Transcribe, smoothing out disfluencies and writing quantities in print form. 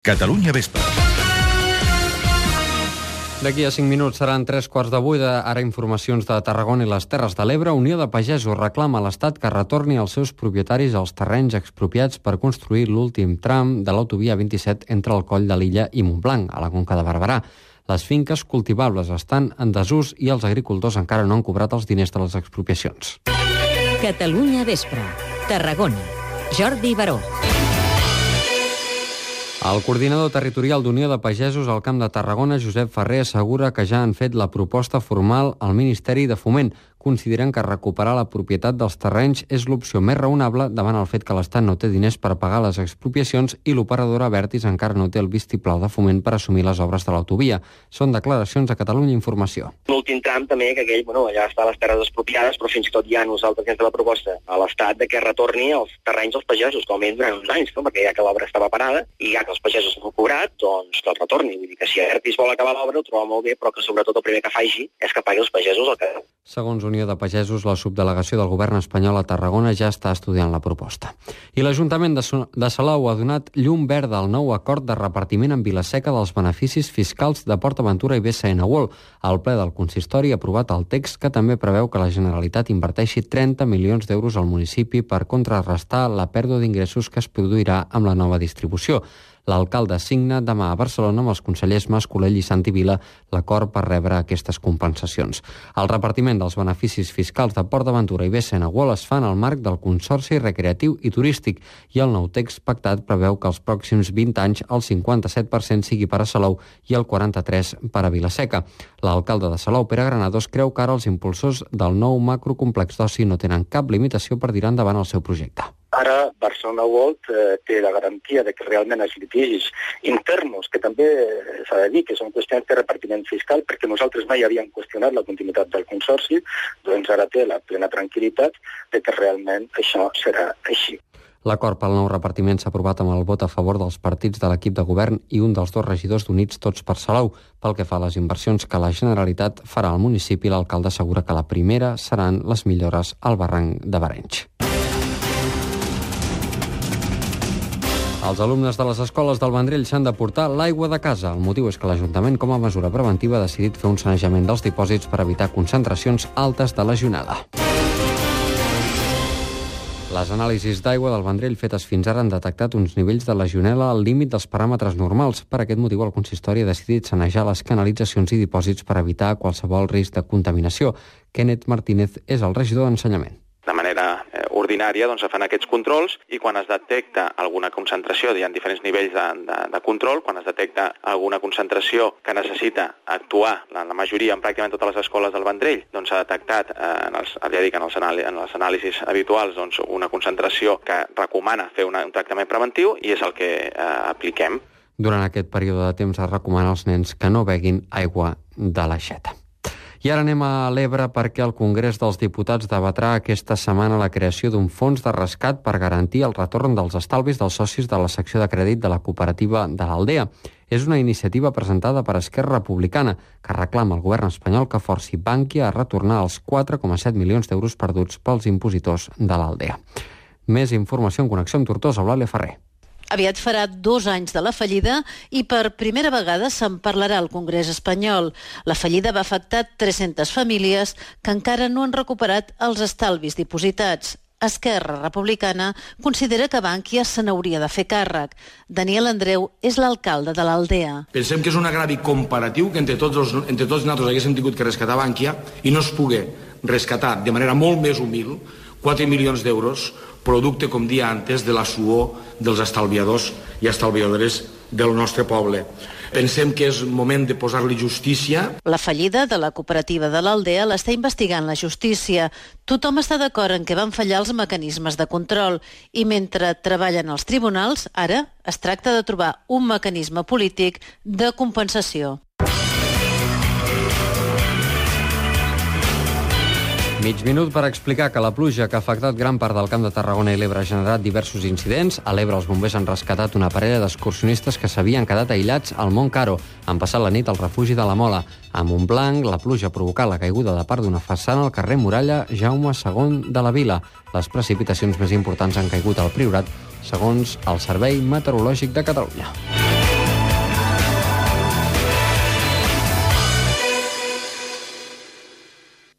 Catalunya Vespre. D'aquí a 5 minuts seran 3:15. Ara informacions de Tarragona i les Terres de l'Ebre. Unió de Pagesos reclama a l'Estat que retorni als seus propietaris els terrenys expropiats per construir l'últim tram de l'autovia 27 entre el Coll de l'Illa i Montblanc, a la Conca de Barberà. Les finques cultivables estan en desús i els agricultors encara no han cobrat els diners de les expropiacions. Catalunya Vespre. Tarragona. Jordi Baró. El coordinador territorial d'Unió de Pagesos al Camp de Tarragona, Josep Ferrer, assegura que ja han fet la proposta formal al Ministeri de Foment. Consideren que recuperar la propietat dels terrenys és l'opció més raonable davant el fet que l'Estat no té diners per pagar les expropiacions i l'operadora Abertis encara no té el vistiplau de Foment per assumir les obres de l'autovia. Són declaracions a Catalunya Informació. L'últim tram també, que aquell, allà està les terres expropiades, però fins i tot ja nosaltres hem fet la proposta a l'Estat de que retorni els terrenys als pagesos, com a mínim durant uns anys, no? Perquè ja que l'obra estava parada i ja que els pagesos no han cobrat, doncs que el retorni. Vull dir que si Abertis vol acabar l'obra ho troba molt bé, però que sobretot el primer que faci és que pagui els pagesos el que... Segons Unió de Pagesos, la subdelegació del govern espanyol a Tarragona ja està estudiant la proposta. I l'Ajuntament de Salou ha donat llum verda al nou acord de repartiment en Vila-seca dels beneficis fiscals de PortAventura i BCN World. El ple del consistori ha aprovat el text que també preveu que la Generalitat inverteixi 30 milions d'euros al municipi per contrarrestar la pèrdua d'ingressos que es produirà amb la nova distribució. L'alcalde signa demà a Barcelona amb els consellers Mas Colell i Santi Vila l'acord per rebre aquestes compensacions. El repartiment dels beneficis fiscals de PortAventura i BCN World es fa en el marc del Consorci Recreatiu i Turístic i el nou text pactat preveu que els pròxims 20 anys el 57% sigui per a Salou i el 43% per a Vila-seca. L'alcalde de Salou, Pere Granados, creu que ara els impulsors del nou macrocomplex d'oci no tenen cap limitació per tirar endavant el seu projecte. Ara Barcelona World té la garantia de que realment els litigis interns, que també s'ha de dir que són qüestions de repartiment fiscal, perquè nosaltres mai havíem qüestionat la continuïtat del consorci, doncs ara té la plena tranquil·litat de que realment això serà així. L'acord pel nou repartiment s'ha aprovat amb el vot a favor dels partits de l'equip de govern i un dels dos regidors d'Units Tots per Salou. Pel que fa a les inversions que la Generalitat farà al municipi, l'alcalde assegura que la primera seran les millores al barranc de Barenys. Els alumnes de les escoles del Vendrell s'han de portar l'aigua de casa. El motiu és que l'Ajuntament, com a mesura preventiva, ha decidit fer un sanejament dels dipòsits per evitar concentracions altes de legionel·la. Les anàlisis d'aigua del Vendrell fetes fins ara han detectat uns nivells de legionel·la al límit dels paràmetres normals. Per aquest motiu, el consistori ha decidit sanejar les canalitzacions i dipòsits per evitar qualsevol risc de contaminació. Kenneth Martínez és el regidor d'Ensenyament. De manera ordinària se fan aquests controls i quan es detecta alguna concentració, hi ha diferents nivells de control, quan es detecta alguna concentració que necessita actuar, la majoria, en pràcticament totes les escoles del Vendrell, s'ha detectat en les anàlisis habituals una concentració que recomana fer un tractament preventiu i és el que apliquem. Durant aquest període de temps es recomana als nens que no beguin aigua de l'aixeta. I ara anem a l'Ebre perquè el Congrés dels Diputats debatrà aquesta setmana la creació d'un fons de rescat per garantir el retorn dels estalvis dels socis de la secció de crèdit de la cooperativa de l'Aldea. És una iniciativa presentada per Esquerra Republicana que reclama al govern espanyol que forci Bankia a retornar els 4,7 milions d'euros perduts pels impositors de l'Aldea. Més informació en connexió amb Tortosa, Eulàlia Ferrer. Aviat farà 2 anys de la fallida i per primera vegada se'n parlarà al Congrés espanyol. La fallida va afectar 300 famílies que encara no han recuperat els estalvis dipositats. Esquerra Republicana considera que Bankia se n'hauria de fer càrrec. Daniel Andreu és l'alcalde de l'Aldea. Pensem que és un agravi comparatiu que entre tots nosaltres haguéssim tingut que rescatar Bankia i no es pugui rescatar de manera molt més humil 4 milions d'euros, producte, com dia antes, de la suor dels estalviadors i estalviadores del nostre poble. Pensem que és moment de posar-li justícia. La fallida de la cooperativa de l'Aldea l'està investigant la justícia. Tothom està d'acord en que van fallar els mecanismes de control i mentre treballen els tribunals, ara es tracta de trobar un mecanisme polític de compensació. Mig minut per explicar que la pluja que ha afectat gran part del Camp de Tarragona i l'Ebre ha generat diversos incidents. A l'Ebre els bombers han rescatat una parella d'excursionistes que s'havien quedat aïllats al Mont Caro. Han passat la nit al refugi de la Mola. A Montblanc, la pluja ha provocat la caiguda de part d'una façana al carrer Muralla Jaume II de la Vila. Les precipitacions més importants han caigut al Priorat, segons el Servei Meteorològic de Catalunya.